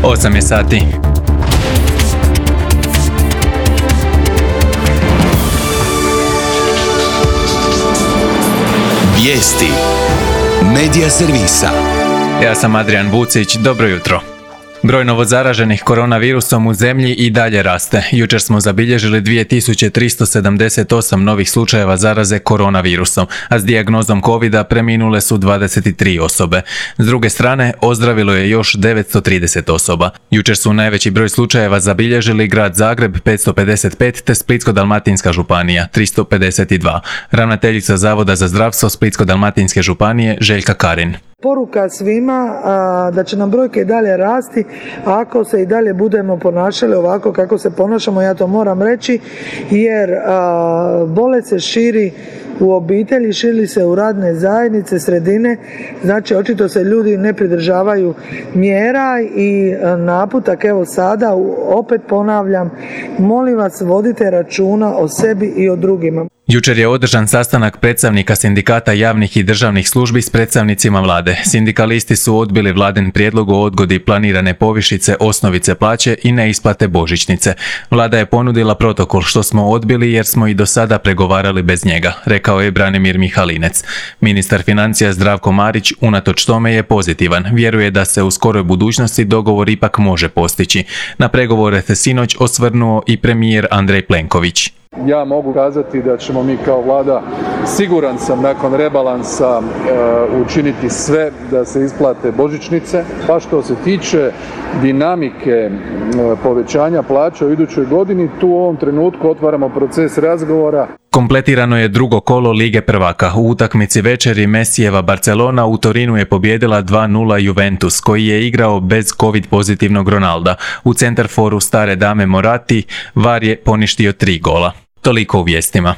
8 je sati. Vijesti Medija servisa. Ja sam Adrian Vucić, dobro jutro. Broj novozaraženih koronavirusom u zemlji i dalje raste. Jučer smo zabilježili 2378 novih slučajeva zaraze koronavirusom, a s dijagnozom covida preminule su 23 osobe. S druge strane, ozdravilo je još 930 osoba. Jučer su najveći broj slučajeva zabilježili grad Zagreb 555 te Splitsko-dalmatinska županija 352. Ravnateljica Zavoda za zdravstvo Splitsko-dalmatinske županije Željka Karin. Poruka svima da će nam brojke i dalje rasti ako se i dalje budemo ponašali ovako kako se ponašamo, ja to moram reći, jer bolest se širi u obitelji, širi se u radne zajednice, sredine, znači očito se ljudi ne pridržavaju mjera i naputak, evo sada, opet ponavljam, molim vas vodite računa o sebi i o drugima. Jučer je održan sastanak predstavnika sindikata javnih i državnih službi s predstavnicima vlade. Sindikalisti su odbili vladin prijedlog o odgodi planirane povišice osnovice plaće i neisplate božićnice. Vlada je ponudila protokol što smo odbili jer smo i do sada pregovarali bez njega, rekao je Branimir Mihalinec. Ministar financija Zdravko Marić unatoč tome je pozitivan. Vjeruje da se u skoroj budućnosti dogovor ipak može postići. Na pregovore se sinoć osvrnuo i premijer Andrej Plenković. Ja mogu kazati da ćemo mi kao vlada, siguran sam, nakon rebalansa učiniti sve da se isplate božićnice. Pa što se tiče dinamike povećanja plaća u idućoj godini, tu u ovom trenutku otvaramo proces razgovora. Kompletirano je drugo kolo Lige prvaka. U utakmici večeri Messijeva Barcelona u Torinu je pobijedila 2:0 Juventus, koji je igrao bez covid pozitivnog Ronalda. U centarforu stare dame Morati VAR je poništio 3 gola. Toliko u vijestima.